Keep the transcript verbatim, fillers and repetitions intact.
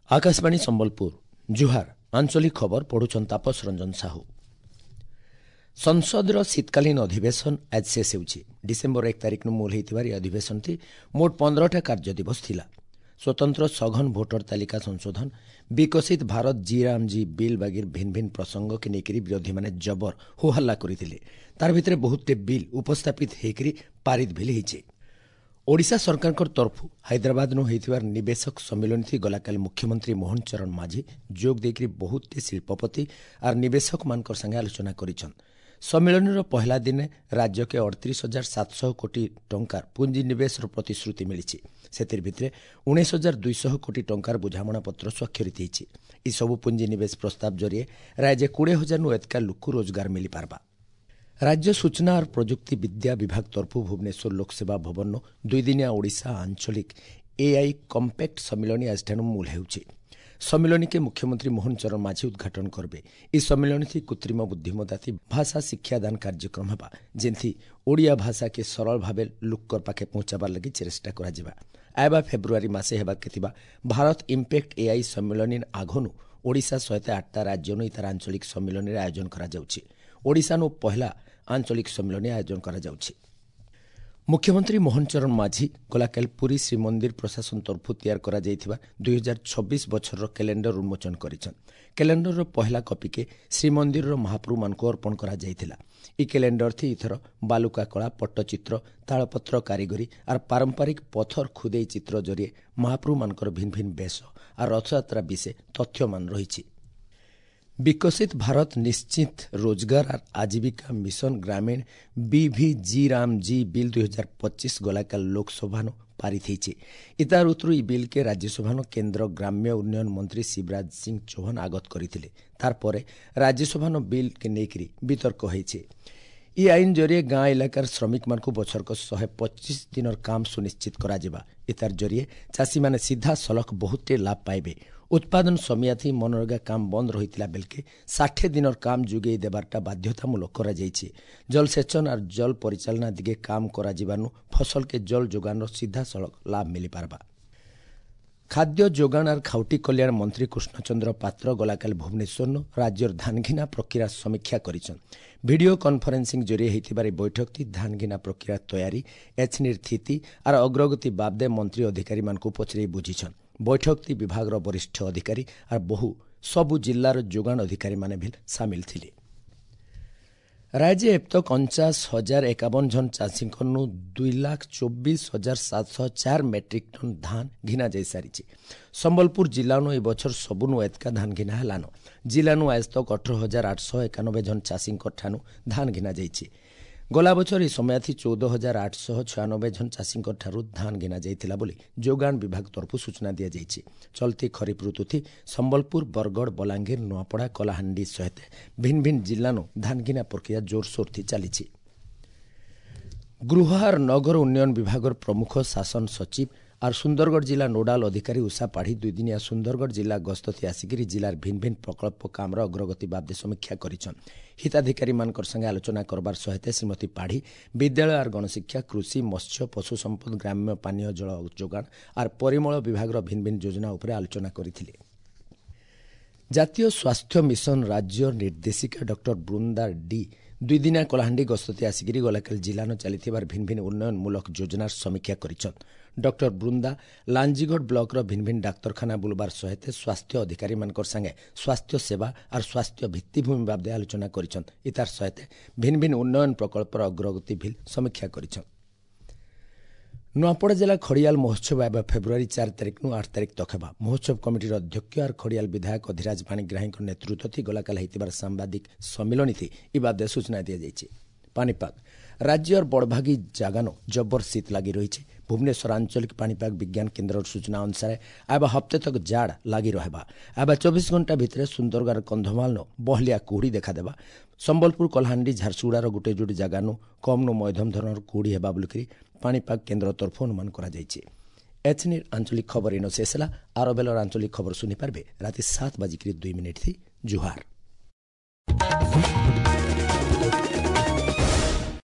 ଆକାଶବାଣୀ ସମ୍ବଲପୁର ଜୁହାର ଆଞ୍ଚଳିକ ଖବର ପଢୁଛନ୍ ତାପସ ରଞ୍ଜନ ସାହୁ ସଂସଦର ଶୀତକାଳୀନ ଅଧିବେଶନ ଆଜି ଶେଷ ହେଉଛି ଡିସେମ୍ବର ଏକ ତାରିଖରୁ ମୂଳ ହୋଇଥିବାର ଏହି ଅଧିବେଶନଟି ମୋଟ ପନ୍ଦରଟା କାର୍ଯ୍ୟ ଦିବସ ଥିଲା ସ୍ୱତନ୍ତ୍ର ସଘନ ଭୋଟର ତାଲିକା ସଂଶୋଧନ ବିକଶିତ Bharat G Ram G bill ବାଗିର ଭିନ୍ନ ଭିନ୍ନ ପ୍ରସଙ୍ଗକେ ନେଇକରି ବିରୋଧୀମାନେ ଜବର ହୋହାଲ୍ଲା କରିଥିଲେ ତାର ଭିତରେ ବହୁତଟେ ବିଲ୍ ଉପସ୍ଥାପିତ ହେଇକରି ପାରିତ ଭିଲ୍ ହେଇଛି ଓଡ଼ିଶା ସରକାରଙ୍କ ତରଫରୁ ହାଇଦ୍ରାବାଦନୁ ହୋଇଥିବାର ନିବେଶକ ସମ୍ମିଳନୀ ଗଲାକାଲି ମୁଖ୍ୟମନ୍ତ୍ରୀ ମୋହନ ଚରଣ ମାଝୀ ଯୋଗ ଦେଇକରି ବହୁତଟେ ଶିଳ୍ପପତି ଆର୍ ନିବେଶକମାନଙ୍କର ସାଙ୍ଗେ ଆଲୋଚନା କରିଛନ୍ ସମ୍ମିଳନୀର ପହିଲା ଦିନେ ରାଜ୍ୟକେ ଅଠତିରିଶ ହଜାର ସାତଶହ କୋଟି ଟଙ୍କାର ପୁଞ୍ଜିନିବେଶର ପ୍ରତିଶ୍ରୁତି ମିଳିଛି ସେଥିର ଭିତରେ ଉଣେଇଶ ହଜାର ଦୁଇଶହ କୋଟି ଟଙ୍କାର ବୁଝାମଣାପତ୍ର ସ୍ୱାକ୍ଷରିତ ହେଇଛି ଏସବୁ ପୁଞ୍ଜିନିବେଶ ପ୍ରସ୍ତାବ ଜରିଏ ରାଜ୍ୟ କୋଡ଼ିଏ ହଜାରନୁ ଏତକା ଲୋକକୁ ରୋଜଗାର ମିଳିପାରବା ରାଜ୍ୟ ସୂଚନା ଆର୍ ପ୍ରଯୁକ୍ତି ବିଦ୍ୟା ବିଭାଗ ତରଫରୁ ଭୁବନେଶ୍ୱର ଲୋକସେବା ଭବନ ଦୁଇଦିନିଆ ଓଡ଼ିଶା ଆଞ୍ଚଳିକ ଏଆଇ କମ୍ପାକ୍ଟ ସମ୍ମିଳନୀ ଆଜିଠାରୁ ମୂଳ ହେଉଛି ସମ୍ମିଳନୀକେ ମୁଖ୍ୟମନ୍ତ୍ରୀ ମୋହନ ଚରଣ ମାଝୀ ଉଦ୍ଘାଟନ କରିବେ ଏହି ସମ୍ମିଳନୀ କୃତ୍ରିମ ବୁଦ୍ଧିମତ୍ତା ଭାଷା ଶିକ୍ଷାଦାନ କାର୍ଯ୍ୟକ୍ରମ ହେବା ଯେନ୍ଥି ଓଡ଼ିଆ ଭାଷାକେ ସରଳ ଭାବେ ଲୋକର ପାଖେ ପହଞ୍ଚାବାର ଲାଗି ଚେଷ୍ଟା କରାଯିବା ଆଇବା ଫେବୃଆରୀ ମାସେ ହେବାକେ ଥିବା ଭାରତ ଇମ୍ପାକ୍ଟ ଏଆଇ ସମ୍ମିଳନୀ ଆଘନୁ ଓଡ଼ିଶା ସହିତ ଆଠଟା ରାଜ୍ୟନୁ ତାର ଆଞ୍ଚଳିକ ସମ୍ମିଳନୀରେ ଆୟୋଜନ କରାଯାଉଛି ଓଡ଼ିଶାନୁ ପହିଲା ଆଞ୍ଚଳିକ ସମ୍ମିଳନୀ ଆୟୋଜନ କରାଯାଉଛି ମୁଖ୍ୟମନ୍ତ୍ରୀ ମୋହନ ଚରଣ ମାଝୀ ଗଲାକାଲି ପୁରୀ ଶ୍ରୀମନ୍ଦିର ପ୍ରଶାସନ ତରଫରୁ ତିଆରି କରାଯାଇଥିବା ଦୁଇହଜାର ଛବିଶ ବଛରର କ୍ୟାଲେଣ୍ଡର ଉନ୍ମୋଚନ କରିଛନ୍ କ୍ୟାଲେଣ୍ଡରର ପହିଲା କପିକେ ଶ୍ରୀମନ୍ଦିରର ମହାପ୍ରଭୁମାନଙ୍କୁ ଅର୍ପଣ କରାଯାଇଥିଲା ଇ କ୍ୟାଲେଣ୍ଡର ଥି ଏଥର ବାଲୁକା କଳା ପଟ୍ଟଚିତ୍ର ତାଳପତ୍ର କାରିଗରୀ ଆର୍ ପାରମ୍ପରିକ ପଥର ଖୁଦେଇ ଚିତ୍ର ଜରିଏ ମହାପ୍ରଭୁମାନଙ୍କର ଭିନ୍ନ ଭିନ୍ନ ବେଶ ଆର୍ ରଥଯାତ୍ରା ବିଷୟ ତଥ୍ୟମାନ ରହିଛି ବିକଶିତ ଭାରତ ନିଶ୍ଚିତ ରୋଜଗାର ଆର୍ ଆଜୀବିକା ମିଶନ ଗ୍ରାମୀଣ ବିଭି ଜି ରାମ ଜି ବିଲ୍ ଦୁଇ ହଜାର ପଚିଶ ଗଲାକାଲ ଲୋକସଭାନୁ ପାରିତ ହେଇଛି ଇତାର ଉତ୍ତରୁ ଇ ବିଲ୍କେ ରାଜ୍ୟସଭାନୁ କେନ୍ଦ୍ର ଗ୍ରାମ୍ୟ ଉନ୍ନୟନ ମନ୍ତ୍ରୀ ଶିବରାଜ ସିଂ ଚୌହାନ ଆଗତ କରିଥିଲେ ତାରପରେ ରାଜ୍ୟସଭାନୁ ବିଲ୍କେ ନେଇକରି ବିତର୍କ ହେଇଛି ଇ ଆଇନ ଜରିଏ ଗାଁ ଇଲାକାର ଶ୍ରମିକମାନଙ୍କୁ ବଛରକ ଶହେ ପଚିଶ ଦିନର କାମ ସୁନିଶ୍ଚିତ କରାଯିବା ଇତାର ଜରିଏ ଚାଷୀମାନେ ସିଧାସଳଖ ବହୁତଟେ ଲାଭ ପାଇବେ ଉତ୍ପାଦନ ସମିୟାଥି ମନରେଗା କାମ ବନ୍ଦ ରହିଥିଲା ବେଲକେ ଷାଠିଏ ଦିନର କାମ ଯୋଗାଇ ଦେବାରଟା ବାଧ୍ୟତାମୂଳକ କରାଯାଇଛି ଜଳସେଚନ ଆର୍ ଜଳ ପରିଚାଳନା ଦିଗେ କାମ କରାଯିବାନୁ ଫସଲକେ ଜଳ ଯୋଗାଣର ସିଧାସଳଖ ଲାଭ ମିଳିପାରବା ଖାଦ୍ୟ ଯୋଗାଣ ଆର୍ ଖାଉଟି କଲ୍ୟାଣ ମନ୍ତ୍ରୀ କୃଷ୍ଣଚନ୍ଦ୍ର ପାତ୍ର ଗଲାକାଲି ଭୁବନେଶ୍ୱରନୁ ରାଜ୍ୟର ଧାନଘିନା ପ୍ରକ୍ରିୟା ସମୀକ୍ଷା କରିଛନ୍ ଭିଡ଼ିଓ କନଫରେନ୍ସିଂ ଜରିଏ ହୋଇଥିବାର ଏହି ବୈଠକଟି ଧାନଘିନା ପ୍ରକ୍ରିୟା ତୟାରୀ ଏଚ୍ନିର ସ୍ଥିତି ଆର୍ ଅଗ୍ରଗତି ବାବଦେ ମନ୍ତ୍ରୀ ଅଧିକାରୀମାନଙ୍କୁ ପଚରାଇ ବୁଝିଛନ୍ ବୈଠକଟି ବିଭାଗର ବରିଷ୍ଠ ଅଧିକାରୀ ଆର୍ ବହୁ ସବୁ ଜିଲ୍ଲାର ଯୋଗାଣ ଅଧିକାରୀମାନେ ବି ସାମିଲ ଥିଲେ ରାଜ୍ୟ ଏପ୍ତକ ଅଣଚାଶ ହଜାର ଏକାବନ ଜଣ ଚାଷୀଙ୍କନୁ ଦୁଇ ଲାଖ ଚବିଶ ହଜାର ସାତଶହ ଚାର ମେଟ୍ରିକ୍ ଟନ୍ ଧାନ ଘିନା ଯାଇସାରିଛି ସମ୍ବଲପୁର ଜିଲ୍ଲାନୁ ଏ ବଛର ସବୁନୁ ଏତକା ଧାନ ଘିନା ହେଲାନ ଜିଲ୍ଲାନୁ ଆଜ ତକ ଅଠର ହଜାର ଆଠଶହ ଏକାନବେ ଜଣ ଚାଷୀଙ୍କ ଠାନୁ ଧାନ ଘିନା ଯାଇଛି ଗଲା ବଛର ଏହି ସମୟାଥି ଚଉଦ ହଜାର ଆଠଶହ ଛୟାନବେ ଜଣ ଚାଷୀଙ୍କ ଠାରୁ ଧାନ ଘିନା ଯାଇଥିଲା ବୋଲି ଯୋଗାଣ ବିଭାଗ ତରଫରୁ ସୂଚନା ଦିଆଯାଇଛି ଚଲତି ଖରିଫ ଋତୁଥି ସମ୍ବଲପୁର ବରଗଡ଼ ବଲାଙ୍ଗୀର ନୂଆପଡ଼ା କଳାହାଣ୍ଡି ସହିତ ଭିନ୍ନ ଭିନ୍ନ ଜିଲ୍ଲାନୁ ଧାନ ଘିନା ପ୍ରକ୍ରିୟା ଜୋରସୋରଥି ଚାଲିଛି ଗୃହ ଆର୍ ନଗର ଉନ୍ନୟନ ବିଭାଗର ପ୍ରମୁଖ ଶାସନ ସଚିବ ଆର୍ ସୁନ୍ଦରଗଡ଼ ଜିଲ୍ଲା ନୋଡାଲ ଅଧିକାରୀ ଉଷା ପାଢ଼ୀ ଦୁଇଦିନିଆ ସୁନ୍ଦରଗଡ଼ ଜିଲ୍ଲା ଗସ୍ତଥି ଆସିକରି ଜିଲ୍ଲାର ଭିନ୍ନ ଭିନ୍ନ ପ୍ରକଳ୍ପ କାମର ଅଗ୍ରଗତି ବାବଦେ ସମୀକ୍ଷା କରିଛନ୍ ହିତାଧିକାରୀମାନଙ୍କର ସାଙ୍ଗେ ଆଲୋଚନା କରବାର ସହିତ ଶ୍ରୀମତୀ ପାଢ଼ୀ ବିଦ୍ୟାଳୟ ଆର୍ ଗଣଶିକ୍ଷା କୃଷି ମତ୍ସ୍ୟ ପଶୁ ସମ୍ପଦ ଗ୍ରାମ୍ୟ ପାନୀୟ ଜଳ ଯୋଗାଣ ଆର୍ ପରିମଳ ବିଭାଗର ଭିନ୍ନ ଭିନ୍ନ ଯୋଜନା ଉପରେ ଆଲୋଚନା କରିଥିଲେ ଜାତୀୟ ସ୍ୱାସ୍ଥ୍ୟ ମିଶନ ରାଜ୍ୟ ନିର୍ଦ୍ଦେଶିକା ଡକ୍ଟର ବୃନ୍ଦା ଡି ଦୁଇଦିନିଆ କଳାହାଣ୍ଡି ଗସ୍ତତି ଆସିକରି ଗଲାକାଲି ଜିଲ୍ଲାନ ଚାଲିଥିବାର ଭିନ୍ନ ଭିନ୍ନ ଉନ୍ନୟନମୂଳକ ଯୋଜନାର ସମୀକ୍ଷା କରିଛନ୍ ଡକ୍ଟର ବୃନ୍ଦା ଲାଞ୍ଜିଗଡ଼ ବ୍ଲକର ଭିନ୍ନ ଭିନ୍ନ ଡାକ୍ତରଖାନା ବୁଲବାର ସହିତ ସ୍ୱାସ୍ଥ୍ୟ ଅଧିକାରୀମାନଙ୍କର ସାଙ୍ଗେ ସ୍ୱାସ୍ଥ୍ୟ ସେବା ଆର୍ ସ୍ୱାସ୍ଥ୍ୟ ଭିତ୍ତିଭୂମି ବାବଦେ ଆଲୋଚନା କରିଛନ୍ ଇତାର ସହିତ ଭିନ୍ନ ଭିନ୍ନ ଉନ୍ନୟନ ପ୍ରକଳ୍ପର ଅଗ୍ରଗତି ଭିଲ୍ ସମୀକ୍ଷା କରିଛନ୍ ନୂଆପଡ଼ା ଜିଲ୍ଲା ଖଡ଼ିଆଲ ମହୋତ୍ସବ ଏବେ ଫେବୃଆରୀ ଚାରି ତାରିଖରୁ ଆଠ ତାରିଖ ତକ ହେବା ମହୋତ୍ସବ କମିଟିର ଅଧ୍ୟକ୍ଷ ଆର୍ ଖଡ଼ିଆଲ ବିଧାୟକ ଅଧିରାଜ ପାଣିଗ୍ରାହୀଙ୍କ ନେତୃତ୍ୱ ଗଲାକାଲି ହୋଇଥିବାର ସାମ୍ବାଦିକ ସମ୍ମିଳନୀ ଇ ବାବଦେ ସୂଚନା ଦିଆଯାଇଛି ପାଣିପାଗ ରାଜ୍ୟର ବଡ଼ଭାଗୀ ଜାଗାନ ଜବର ଶୀତ ଲାଗି ରହିଛି ଭୁବନେଶ୍ୱର ଆଞ୍ଚଳିକ ପାଣିପାଗ ବିଜ୍ଞାନ କେନ୍ଦ୍ରର ସୂଚନା ଅନୁସାରେ ଆଇବା ହପ୍ତେ ତକ ଜାଡ଼ ଲାଗି ରହିବା ଆଇବା ଚବିଶ ଘଣ୍ଟା ଭିତରେ ସୁନ୍ଦରଗଡ଼ କନ୍ଧମାଳନ ବହଲିଆ କୁହୁଡ଼ି ଦେଖାଦେବା ସମ୍ବଲପୁର କଳାହାଣ୍ଡି ଝାରସୁଗୁଡ଼ାର ଗୋଟେ ଯୋଡ଼ି ଜାଗାନୁ କମ୍ନୁ ମଧ୍ୟମ ଧରଣର କୁହୁଡ଼ି ହେବା ବୋଲିକରି ପାଣିପାଗ କେନ୍ଦ୍ର ତରଫରୁ ଅନୁମାନ କରାଯାଇଛି ଏଚ୍ନିର ଆଞ୍ଚଳିକ ଖବର ଇନ ଶେଷ ହେଲା ଆର ବେଲର ଆଞ୍ଚଳିକ ଖବର ଶୁଣିପାରିବେ ରାତି ସାତ ବାଜିକିରି ଦୁଇ ମିନିଟ୍ ଥି ଜୁହାର